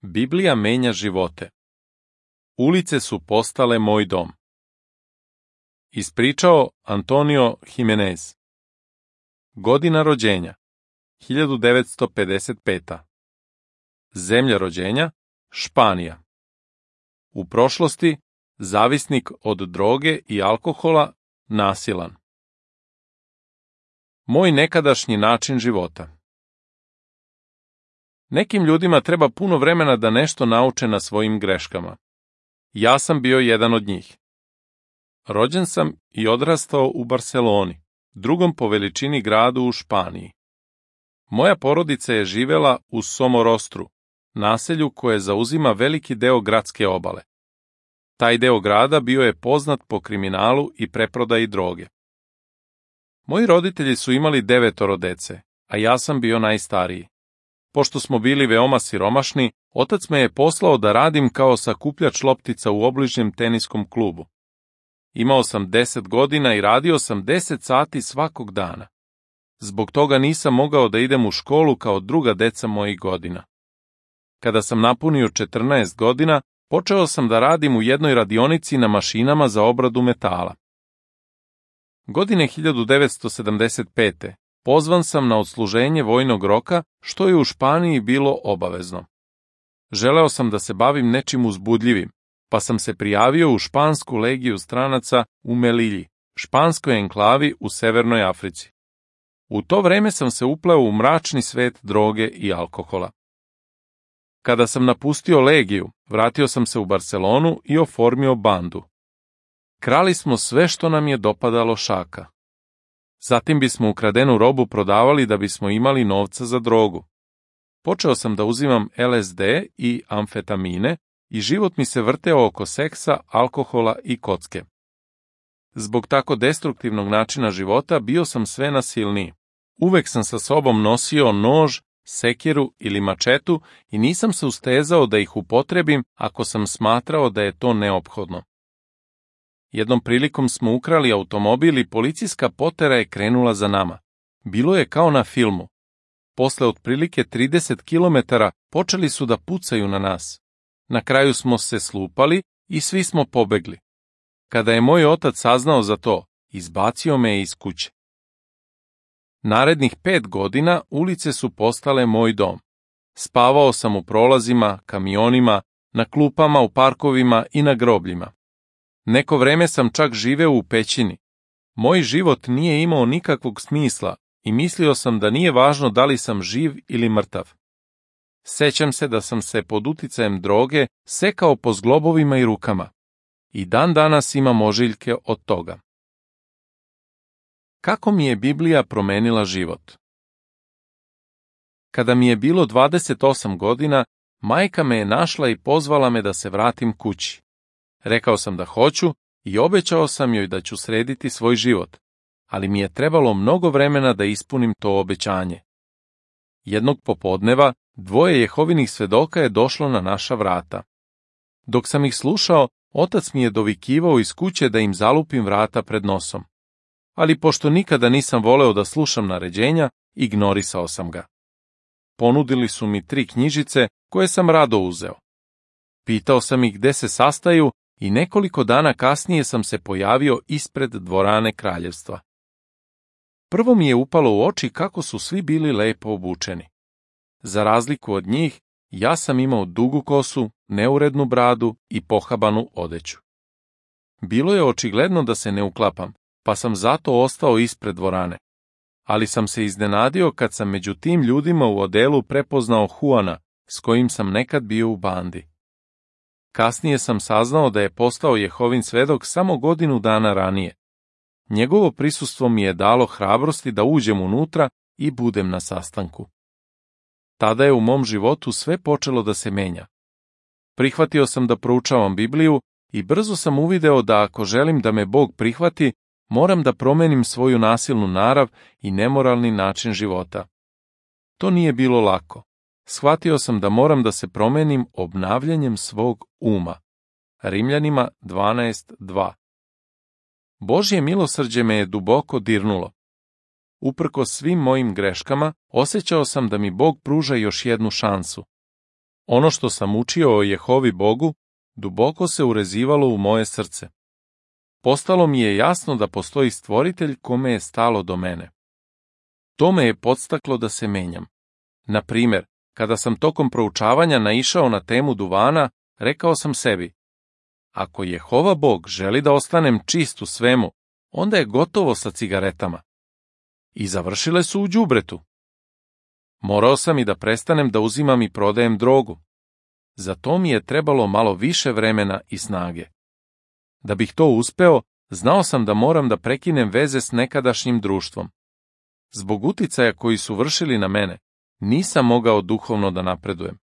Biblija menja živote. Ulice su postale moj dom. Ispričao Antonio Jimenez. Godina rođenja 1955. Zemlja rođenja Španija. U prošlosti zavisnik od droge i alkohola, nasilan. Moj nekadašnji način života. Nekim ljudima treba puno vremena da nešto nauče na svojim greškama. Ja sam bio jedan od njih. Rođen sam i odrastao u Barseloni, drugom po veličini gradu u Španiji. Moja porodica je živela u Somorostru, naselju koje zauzima veliki deo gradske obale. Taj deo grada bio je poznat po kriminalu i preprodaji droge. Moji roditelji su imali 9 dece, a ja sam bio najstariji. Pošto smo bili veoma siromašni, otac me je poslao da radim kao sakupljač loptica u obližnjem teniskom klubu. Imao sam 10 godina i radio sam 10 sati svakog dana. Zbog toga nisam mogao da idem u školu kao druga deca mojih godina. Kada sam napunio 14 godina, počeo sam da radim u jednoj radionici na mašinama za obradu metala. Godine 1975. pozvan sam na odsluženje vojnog roka, što je u Španiji bilo obavezno. Želeo sam da se bavim nečim uzbudljivim, pa sam se prijavio u špansku legiju stranaca u Melilji, španskoj enklavi u Severnoj Africi. U to vreme sam se upleo u mračni svet droge i alkohola. Kada sam napustio legiju, vratio sam se u Barselonu i oformio bandu. Krali smo sve što nam je dopadalo šaka. Zatim bismo ukradenu robu prodavali da bismo imali novca za drogu. Počeo sam da uzimam LSD i amfetamine i život mi se vrteo oko seksa, alkohola i kocke. Zbog tako destruktivnog načina života bio sam sve nasilniji. Uvek sam sa sobom nosio nož, sekiru ili mačetu i nisam se ustezao da ih upotrebim ako sam smatrao da je to neophodno. Jednom prilikom smo ukrali automobil i policijska potera je krenula za nama. Bilo je kao na filmu. Posle otprilike 30 kilometara počeli su da pucaju na nas. Na kraju smo se slupali i svi smo pobegli. Kada je moj otac saznao za to, izbacio me je iz kuće. Narednih 5 godina ulice su postale moj dom. Spavao sam u prolazima, kamionima, na klupama u parkovima i na grobljima. Neko vreme sam čak živeo u pećini. Moj život nije imao nikakvog smisla i mislio sam da nije važno da li sam živ ili mrtav. Sećam se da sam se pod uticajem droge sekao po zglobovima i rukama. I dan danas imam ožiljke od toga. Kako mi je Biblija promenila život? Kada mi je bilo 28 godina, majka me je našla i pozvala me da se vratim kući. Rekao sam da hoću i obećao sam joj da ću srediti svoj život, ali mi je trebalo mnogo vremena da ispunim to obećanje. Jednog popodneva 2 Jehovinih svedoka je došlo na naša vrata. Dok sam ih slušao, otac mi je dovikivao iz kuće da im zalupim vrata pred nosom. Ali pošto nikada nisam voleo da slušam naređenja, ignorisao sam ga. Ponudili su mi 3 knjižice koje sam rado uzeo. Pitao sam ih gde se sastaju i nekoliko dana kasnije sam se pojavio ispred dvorane kraljevstva. Prvo mi je upalo u oči kako su svi bili lepo obučeni. Za razliku od njih, ja sam imao dugu kosu, neurednu bradu i pohabanu odeću. Bilo je očigledno da se ne uklapam, pa sam zato ostao ispred dvorane. Ali sam se iznenadio kad sam među tim ljudima u odelu prepoznao Juana, s kojim sam nekad bio u bandi. Kasnije sam saznao da je postao Jehovin svedok samo godinu dana ranije. Njegovo prisustvo mi je dalo hrabrosti da uđem unutra i budem na sastanku. Tada je u mom životu sve počelo da se menja. Prihvatio sam da proučavam Bibliju i brzo sam uvideo da ako želim da me Bog prihvati, moram da promenim svoju nasilnu narav i nemoralni način života. To nije bilo lako. Shvatio sam da moram da se promenim obnavljanjem svog uma. Rimljanima 12:2. Božje milosrđe me je duboko dirnulo. Uprkos svim mojim greškama, osjećao sam da mi Bog pruža još jednu šansu. Ono što sam učio o Jehovi Bogu duboko se urezivalo u moje srce. Postalo mi je jasno da postoji stvoritelj kome je stalo do mene. To me je podstaklo da se menjam. Na primjer, kada sam tokom proučavanja naišao na temu duvana, rekao sam sebi: ako Jehova Bog želi da ostanem čist u svemu, onda je gotovo sa cigaretama. I završile su u đubretu. Morao sam i da prestanem da uzimam i prodajem drogu. Za to mi je trebalo malo više vremena i snage. Da bih to uspeo, znao sam da moram da prekinem veze s nekadašnjim društvom. Zbog uticaja koji su vršili na mene, nisam mogao duhovno da napredujem.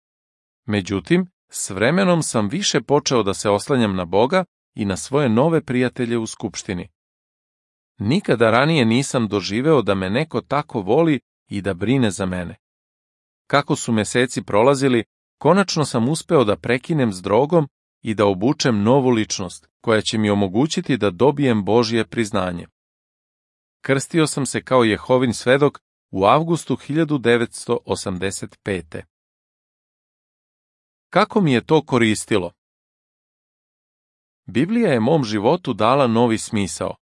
Međutim, s vremenom sam više počeo da se oslanjam na Boga i na svoje nove prijatelje u skupštini. Nikada ranije nisam doživeo da me neko tako voli i da brine za mene. Kako su meseci prolazili, konačno sam uspeo da prekinem s drogom i da obučem novu ličnost, koja će mi omogućiti da dobijem Božje priznanje. Krstio sam se kao Jehovin svedok u avgustu 1985. Kako mi je to koristilo? Biblija je mom životu dala novi smisao.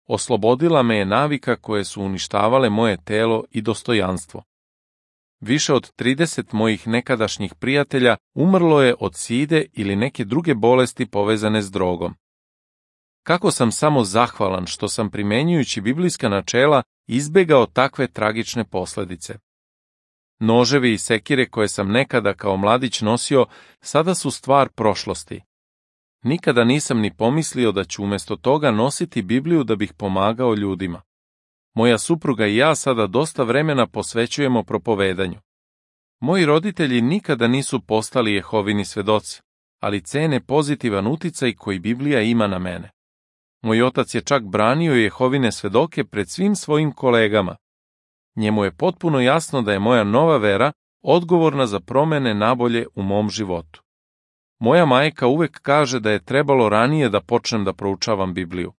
Oslobodila me je navika koje su uništavale moje telo i dostojanstvo. Više od 30 mojih nekadašnjih prijatelja umrlo je od side ili neke druge bolesti povezane s drogom. Kako sam samo zahvalan što sam primenjujući biblijska načela izbegao takve tragične posledice. Noževi i sekire koje sam nekada kao mladić nosio sada su stvar prošlosti. Nikada nisam ni pomislio da ću umjesto toga nositi Bibliju da bih pomagao ljudima. Moja supruga i ja sada dosta vremena posvećujemo propovedanju. Moji roditelji nikada nisu postali Jehovini svedoci, ali cene pozitivan uticaj koji Biblija ima na mene. Moj otac je čak branio Jehovine svedoke pred svim svojim kolegama. Njemu je potpuno jasno da je moja nova vera odgovorna za promene nabolje u mom životu. Moja majka uvek kaže da je trebalo ranije da počnem da proučavam Bibliju.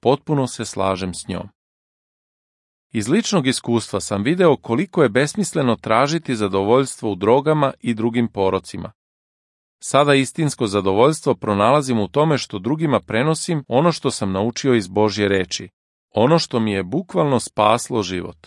Potpuno se slažem s njom. Iz ličnog iskustva sam video koliko je besmisleno tražiti zadovoljstvo u drogama i drugim porocima. Sada istinsko zadovoljstvo pronalazim u tome što drugima prenosim ono što sam naučio iz Božje reči, ono što mi je bukvalno spaslo život.